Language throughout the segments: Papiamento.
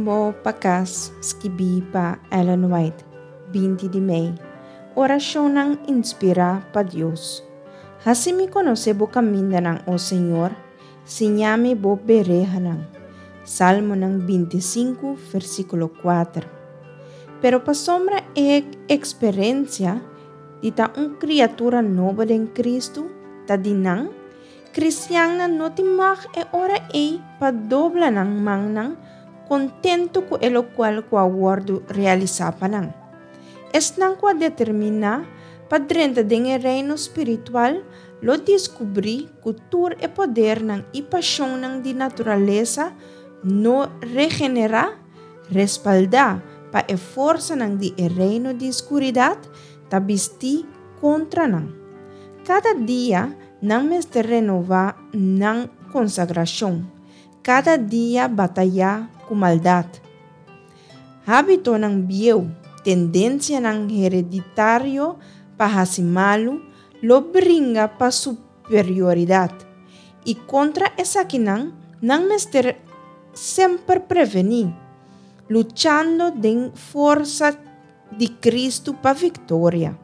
Rumbo pa Kas, skibí pa Ellen White, 20 di mei. Orashonnan inspirá pa Dios. Hasi mi konosé bo kamindanan, o Señor, siña mi bo berehanan. Salmonan 25, versíkulo 4. Pero pasobra e eksperensia di ta un kriatura nobo den Kristu ta di nan, Kristiannan no tin mag e ora ei pa dobla nan mannan kontentu ku e lokual ku a wòrdu realisá pa nan. Esnan ku a determiná pa drenta den e reino spiritual lo diskubrí ku tur e podernan i pashonnan di naturalesa no regenerá, respaldá pa e forsanan di e reino di skuridat, ta bistí kontra nan. Kada dia nan mester renová nan konsagrashon, kada dia batayá ku maldat. Hábitonan bieu, tendensianan hereditario pa hasi malu lo bringa pa superioridat, i kontra esakinan nan mester semper prevení, luchando den forsa di Kristu pa viktoria,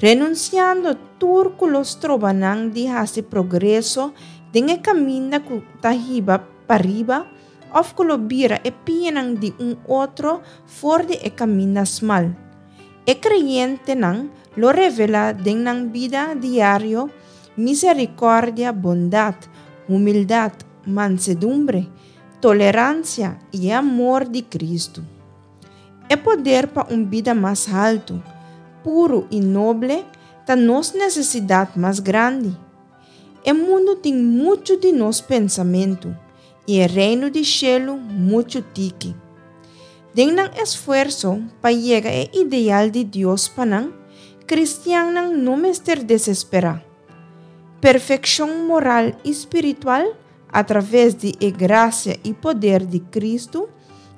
renunsiando tur ku lo stroba nan di hasi progreso den e kaminda ku ta hiba pariba òf ku lo bira e pianan di un otro for di e kaminda smal. E kreyentenan lo revelá den nan bida diario miserikòrdia, bondat, humildat, mansedumbre, toleransia i e amor di Kristu. E poder pa un bida mas haltu, puru i noble ta nos nesesidat mas grandi. E mundu tin muchu di nos pensamentu i e Reino di shelu muchu tiki. Den nan esfuerso pa yega e ideal di Dios pa nan, kristiannan no mester desesperá. Perfekshon moral i spiritual atraves di e grasia i poder di Kristu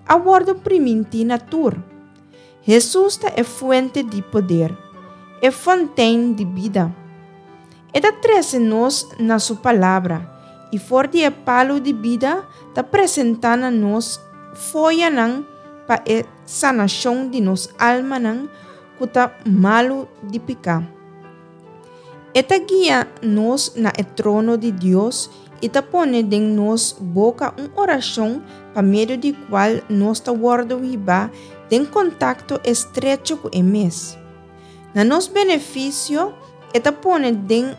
a wòrdu primintí na tur. Hesus ta e fuente di poder, e fontein di bida. E ta trese nos na su Palabra i for di e palu di bida ta presentá na nos foyanan pa e sanashon di nos almanan ku ta malu di piká. E ta guia nos na e trono di Dios i ta pone den nos boka un orashon pa medio di kual nos ta wòrdu hibá den kontakto estrecho ku e mes. Na nos benefisio e ta pone den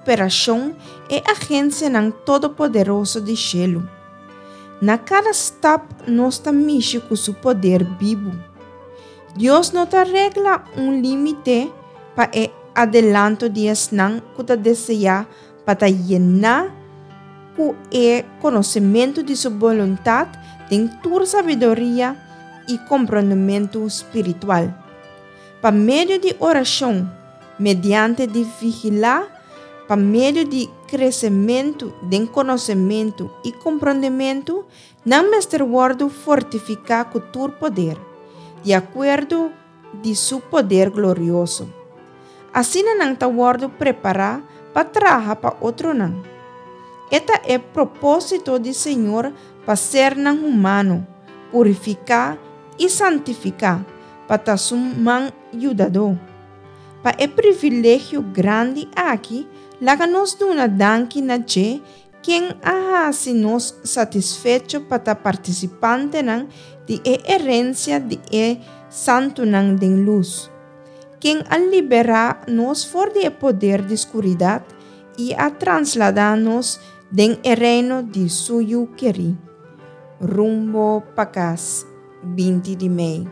operashon e agensianan todopoderoso di shelu. Na kada stap nos ta mishi ku su poder bibu. Dios no ta regla un límite pa e adelanto di esnan ku ta deseá pa ta yená ku e konosementu di su boluntat den tur sabiduria i komprondementu spiritual. Pa medio di orashon, mediante di vigilá, pa medio di kresementu den konosementu i komprondementu, Nan mester wòrdu fortifiká ku tur poder, di akuerdo di su poder glorioso. Asina nan ta wòrdu prepará pa traha pa otronan. E ta e propósito di Señor pa sernan humano purifiká i santifiká pa ta su man yudadó. Pa e privilegio grandi aki, laga nos duna danki na dje Ken a hasi nos satisfecho pa ta partisipantenan di e herensia di e santunan den lus? Ken a liberá nos for di e poder di skuridat i a trasladá nos den e reino di Su Yu kerí? Rumbo pa kas, 20 di mei.